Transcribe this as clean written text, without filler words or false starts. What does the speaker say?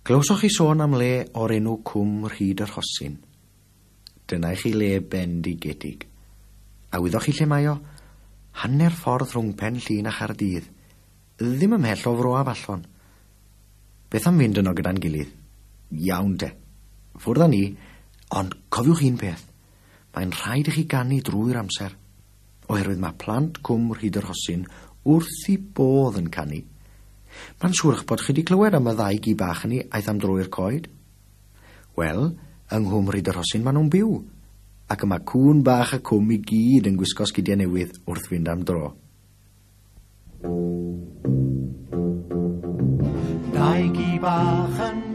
Glywsoch chi sôn am le o'r enw Cwm Rhyd y Rhosyn? Dyna i chi le bendigedig. A wyddoch chi lle mae o? Hanner ffordd rhwng Pen Llŷn a Chaerdydd. Ddim ymhell o Fro Afallon. Beth am fynd yno gyda'n gilydd? Iawn te. Ffwrdd â ni, ond cofiwch un peth. Mae'n rhaid i chi ganu drwy'r amser. Oherwydd mae plant Cwm Rhyd y Rhosyn wrth i bodd yn canu. Mae'n siŵr eich bod chi wedi clywed am y ddau gi bach hynny aeth am dro i'r coed. Wel, yng Nghwm Rhyd y Rhosyn maen nhw'n byw, ac y mae cŵn bach y cwm i gyd yn gwisgo sgidiau newydd wrth fynd am dro. Dau gi bach yn